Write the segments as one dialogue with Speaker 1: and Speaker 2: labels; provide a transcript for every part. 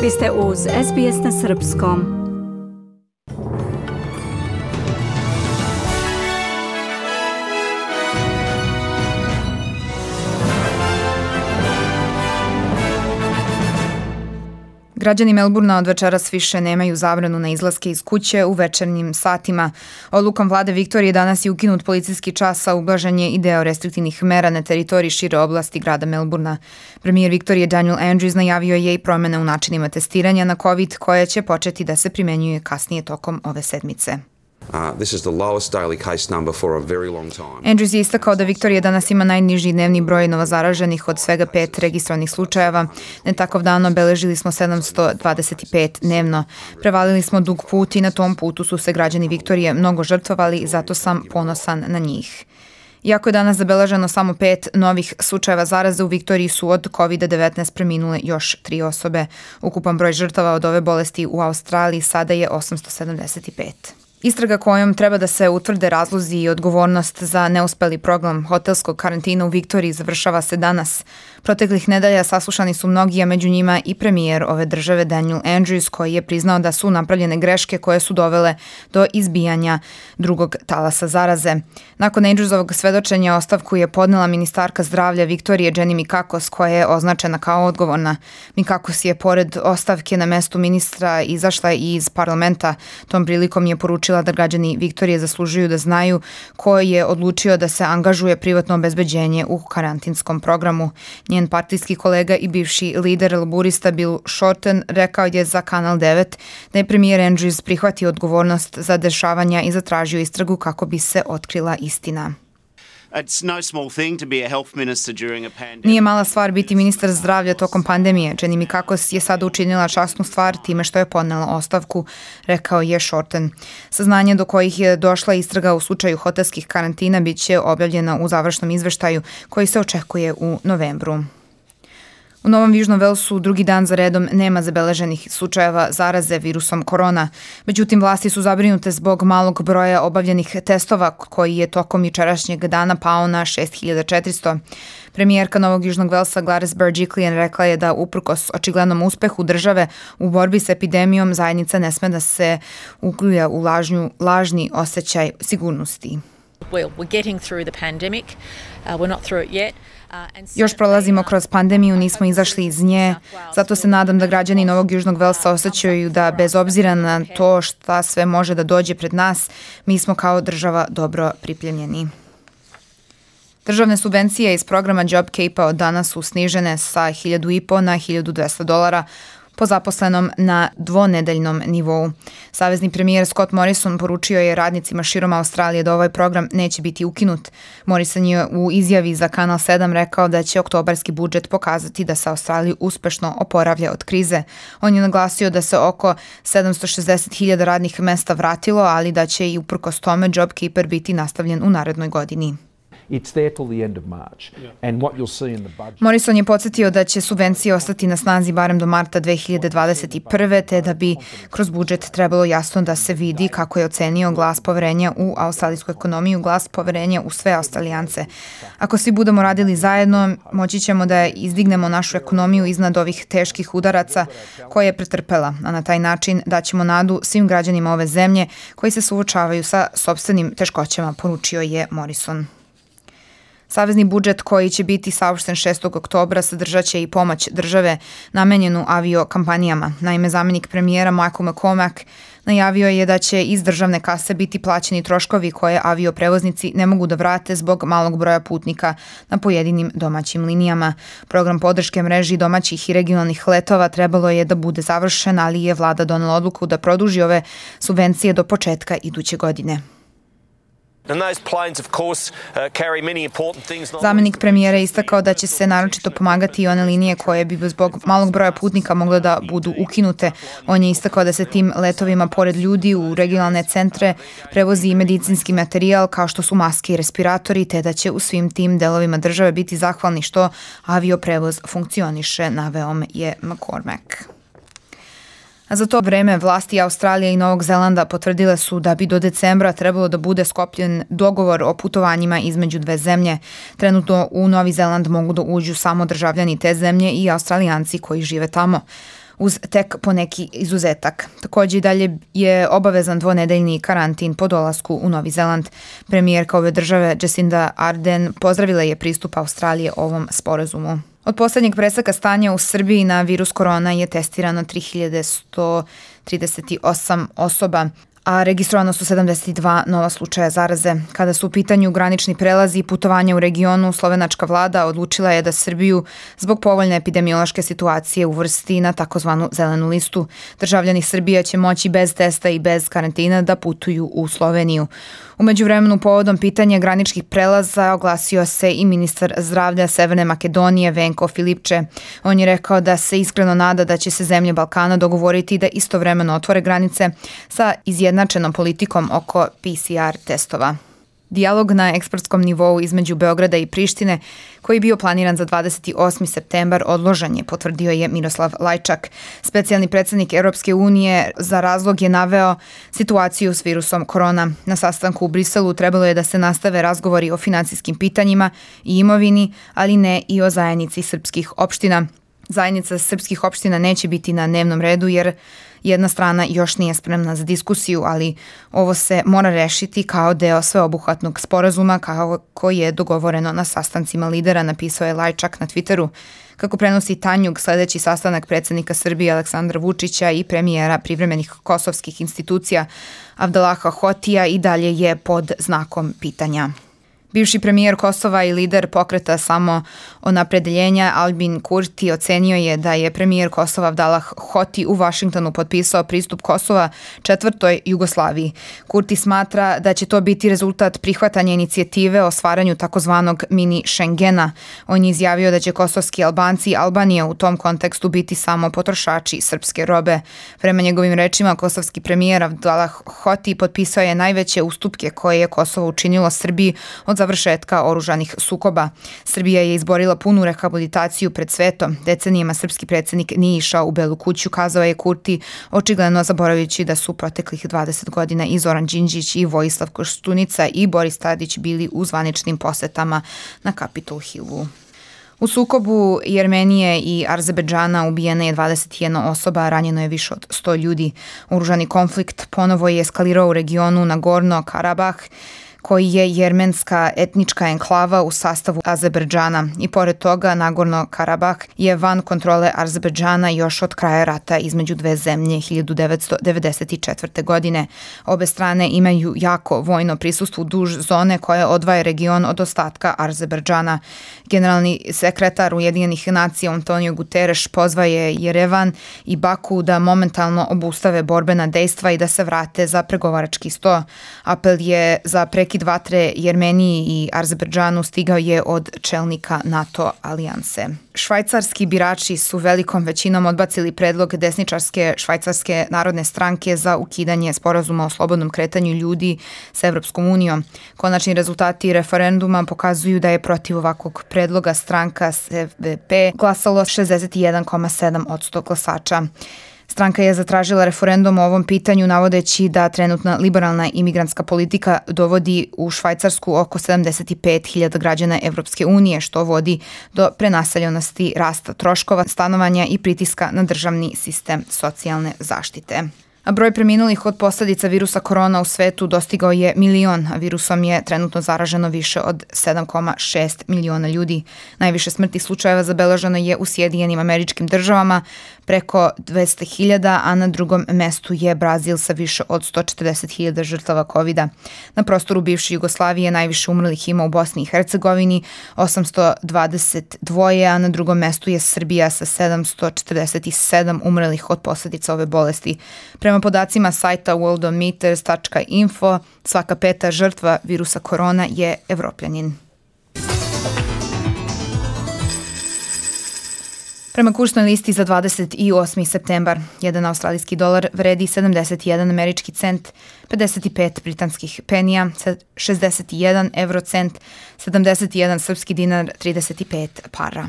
Speaker 1: Vi ste uz SBS na Srpskom.
Speaker 2: Građani Melburna od večeras više nemaju zabranu na izlaske iz kuće u večernjim satima. Odlukom vlade Viktorije danas je ukinut policijski čas, a ublažen je i deo restriktivnih mera na teritoriji šire oblasti grada Melburna. Premijer Viktorije Daniel Andrews najavio je i promjene u načinima testiranja na COVID koje će početi da se primenjuje kasnije tokom ove sedmice. Andrews je istakao da Viktorija danas ima najniži dnevni broj novozaraženih od svega 5 registrovanih slučajeva. Ne tako davno beležili smo 725 dnevno. Prevalili smo dug put i na tom putu su se građani Viktorije mnogo žrtvovali i zato sam ponosan na njih. Iako je danas zabeleženo samo 5 novih slučajeva zaraze, u Viktoriji su od COVID-19 preminule još 3 osobe. Ukupan broj žrtava od ove bolesti u Australiji sada je 875. Istraga kojom treba da se utvrde razlozi i odgovornost za neuspeli program hotelskog karantina u Viktoriji završava se danas. Proteklih nedelja saslušani su mnogi, a među njima i premijer ove države Daniel Andrews, koji je priznao da su napravljene greške koje su dovele do izbijanja drugog talasa zaraze. Nakon Andrewsovog svedočenja ostavku je podnela ministarka zdravlja Viktorije Jenny Mikakos, koja je označena kao odgovorna. Mikakos je pored ostavke na mestu ministra izašla i iz parlamenta. Tom prilikom je poručila da građani Viktorije zaslužuju da znaju ko je odlučio da se angažuje privatno obezbeđenje u karantinskom programu. Njen partijski kolega i bivši lider laburista Bill Shorten rekao je za Kanal 9 da je premijer Andrews prihvatio odgovornost za dešavanja i zatražio istragu kako bi se otkrila istina. Nije mala stvar biti ministar zdravlja tokom pandemije. Jenny Mikakos je sada učinila časnu stvar time što je podnela ostavku, rekao je Shorten. Saznanje do kojih je došla istraga u slučaju hotelskih karantina bit će objavljena u završnom izveštaju koji se očekuje u novembru. U Novom Južnom Velsu drugi dan za redom nema zabeleženih slučajeva zaraze virusom korona. Međutim, vlasti su zabrinute zbog malog broja obavljenih testova koji je tokom jučerašnjeg dana pao na 6400. Premijerka Novog Južnog Velsa Gladys Berejiklian rekla je da uprkos očiglednom uspehu države u borbi s epidemijom zajednica ne sme da se ugljuja u lažni osjećaj sigurnosti. Još prolazimo kroz pandemiju, nismo izašli iz nje, zato se nadam da građani Novog Južnog Velsa osjećaju da bez obzira na to šta sve može da dođe pred nas, mi smo kao država dobro pripremljeni. Državne subvencije iz programa JobKeepa od danas su snižene sa $1,500 na $1,200 po zaposlenom na dvonedeljnom nivou. Savezni premijer Scott Morrison poručio je radnicima širom Australije da ovaj program neće biti ukinut. Morrison je u izjavi za Kanal 7 rekao da će oktobarski budžet pokazati da se Australija uspešno oporavlja od krize. On je naglasio da se oko 760.000 radnih mesta vratilo, ali da će i uprkos tome JobKeeper biti nastavljen u narednoj godini. Morrison je podsjetio da će subvencije ostati na snazi barem do marta 2021. te da bi kroz budžet trebalo jasno da se vidi kako je ocenio glas poverenja u australijsku ekonomiju, glas poverenja u sve Australijance. Ako svi budemo radili zajedno, moći ćemo da izdignemo našu ekonomiju iznad ovih teških udaraca koje je pretrpela, a na taj način daćemo nadu svim građanima ove zemlje koji se suočavaju sa sopstvenim teškoćama, poručio je Morrison. Savezni budžet koji će biti saopšten 6. oktobra sadržat će i pomoć države namenjenu aviokampanijama. Naime, zamjenik premijera Michael McCormack najavio je da će iz državne kase biti plaćeni troškovi koje avioprevoznici ne mogu da vrate zbog malog broja putnika na pojedinim domaćim linijama. Program podrške mreži domaćih i regionalnih letova trebalo je da bude završen, ali je vlada donela odluku da produži ove subvencije do početka iduće godine. Zamjenik premijera je istakao da će se naročito pomagati i one linije koje bi zbog malog broja putnika mogle da budu ukinute. On je istakao da se tim letovima pored ljudi u regionalne centre prevozi i medicinski materijal kao što su maske i respiratori, te da će u svim tim delovima države biti zahvalni što avioprevoz funkcioniše, naveo je McCormack. A za to vreme vlasti Australije i Novog Zelanda potvrdile su da bi do decembra trebalo da bude sklopljen dogovor o putovanjima između dve zemlje. Trenutno u Novi Zeland mogu da uđu samo državljani te zemlje i Australijanci koji žive tamo. uz tek poneki izuzetak. Takođe i dalje je obavezan dvonedeljni karantin po dolasku u Novi Zeland. Premijerka ove države Jacinda Ardern pozdravila je pristup Australije ovom sporazumu. Od poslednjeg preseka stanja u Srbiji na virus korona je testirano 3138 osoba, a registrovano su 72 nova slučaja zaraze. Kada su u pitanju granični prelazi i putovanja u regionu, slovenačka vlada odlučila je da Srbiju zbog povoljne epidemiološke situacije uvrsti na takozvanu zelenu listu. Državljani Srbije će moći bez testa i bez karantina da putuju u Sloveniju. U međuvremenu povodom pitanja graničnih prelaza oglasio se i ministar zdravlja Severne Makedonije Venko Filipče. On je rekao da se iskreno nada da će se zemlje Balkana dogovoriti da istovremeno otvore granice sa izjednačenom politikom oko PCR testova. Dijalog na ekspertskom nivou između Beograda i Prištine, koji je bio planiran za 28. septembar, odložen je, potvrdio je Miroslav Lajčak. Specijalni predsednik Europske unije za razlog je naveo situaciju s virusom korona. Na sastanku u Briselu trebalo je da se nastave razgovori o finansijskim pitanjima i imovini, ali ne i o zajednici srpskih opština. Zajednica srpskih opština neće biti na dnevnom redu jer jedna strana još nije spremna za diskusiju, ali ovo se mora rešiti kao deo sveobuhvatnog sporazuma kako je dogovoreno na sastancima lidera, napisao je Lajčak na Twitteru. Kako prenosi Tanjug, sledeći sastanak predsednika Srbije Aleksandra Vučića i premijera privremenih kosovskih institucija Avdalaha Hotija i dalje je pod znakom pitanja. Bivši premijer Kosova i lider pokreta Samoopredeljenja Albin Kurti ocenio je da je premijer Kosova Avdalah Hoti u Vašingtonu potpisao pristup Kosova četvrtoj Jugoslaviji. Kurti smatra da će to biti rezultat prihvatanja inicijative o stvaranju takozvanog mini Schengena. On je izjavio da će kosovski Albanci i Albanija u tom kontekstu biti samo potrošači srpske robe. Prema njegovim rečima, kosovski premijer Avdalah Hoti potpisao je najveće ustupke koje je Kosovo učinilo Srbiji od završetka oružanih sukoba. Srbija je izborila punu rehabilitaciju pred svetom. Decenijama srpski predsjednik nije išao u Belu kuću, kazao je Kurti, očigledno zaboravljajući da su proteklih 20 godina i Zoran Đinđić i Vojislav Koštunica i Boris Tadić bili u zvaničnim posetama na Capitol Hillu. U sukobu Jermenije i Azerbejdžana ubijena je 21 osoba, a ranjeno je više od 100 ljudi. Oružani konflikt ponovo je eskalirao u regionu Nagorno-Karabah, koji je jermenska etnička enklava u sastavu Azerbejdžana. I pored toga, Nagorno-Karabah je van kontrole Azerbejdžana još od kraja rata između dve zemlje 1994. godine. Obe strane imaju jako vojno prisustvo duž zone koja odvaja region od ostatka Azerbejdžana. Generalni sekretar Ujedinjenih nacija Antonio Guterres pozvao je Jerevan i Baku da momentalno obustave borbena dejstva i da se vrate za pregovarački sto. Apel je za prekid vatre Jermeniji i Azerbejdžanu stigao je od čelnika NATO alijanse. Švajcarski birači su velikom većinom odbacili predlog desničarske Švajcarske narodne stranke za ukidanje sporazuma o slobodnom kretanju ljudi sa Evropskom unijom. Konačni rezultati referenduma pokazuju da je protiv ovakvog predloga stranka SVP glasalo 61,7% glasača. Stranka je zatražila referendum o ovom pitanju navodeći da trenutna liberalna imigrantska politika dovodi u Švajcarsku oko 75.000 građana Evropske unije, što vodi do prenaseljenosti, rasta troškova stanovanja i pritiska na državni sistem socijalne zaštite. A broj preminulih od posledica virusa korona u svetu dostigao je 1.000.000, a virusom je trenutno zaraženo više od 7,6 miliona ljudi. Najviše smrtnih slučajeva zabeleženo je u Sjedinjenim Američkim Državama, preko 200.000, a na drugom mestu je Brazil sa više od 140.000 žrtava COVID-a. Na prostoru bivše Jugoslavije najviše umrlih ima u Bosni i Hercegovini, 822, a na drugom mestu je Srbija sa 747 umrlih od posledica ove bolesti. Prema podacima sajta worldometers.info, svaka peta žrtva virusa korona je Evropljanin. Prema kursnoj listi za 28. septembar, jedan australijski dolar vredi 71 američki cent, 55 britanskih penija, 61 eurocent, 71 srpski dinar, 35 para.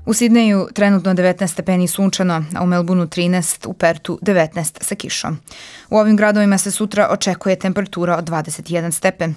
Speaker 2: U Sidneju trenutno 19 stepeni sunčano, a u Melbourneu 13, u Pertu 19 sa kišom. U ovim gradovima se sutra očekuje temperatura od 21 stepen.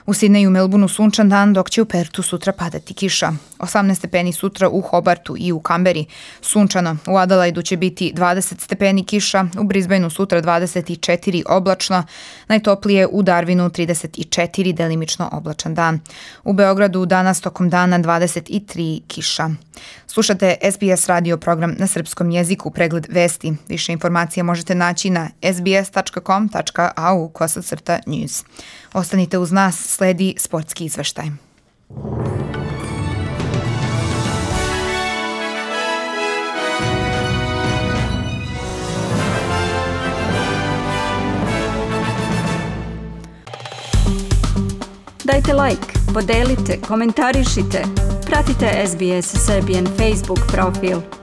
Speaker 2: U Sidneju i Melbourneu sunčan dan, dok će u Pertu sutra padati kiša. 18 stepeni sutra u Hobartu i u Kamberi. Sunčano, u Adelaidu će biti 20 stepeni kiša, u Brisbaneu sutra 24 oblačno, najtoplije u Darwinu 34 delimično oblačan dan. U Beogradu danas tokom dana 23 kiša. Slušate SBS radio program na srpskom jeziku, pregled vesti. Više informacija možete naći na sbs.com.au/news. Ostanite uz nas, sledi sportski izveštaj.
Speaker 1: Dajte like, podelite, komentarišite. Pratite SBS Serbian Facebook profil.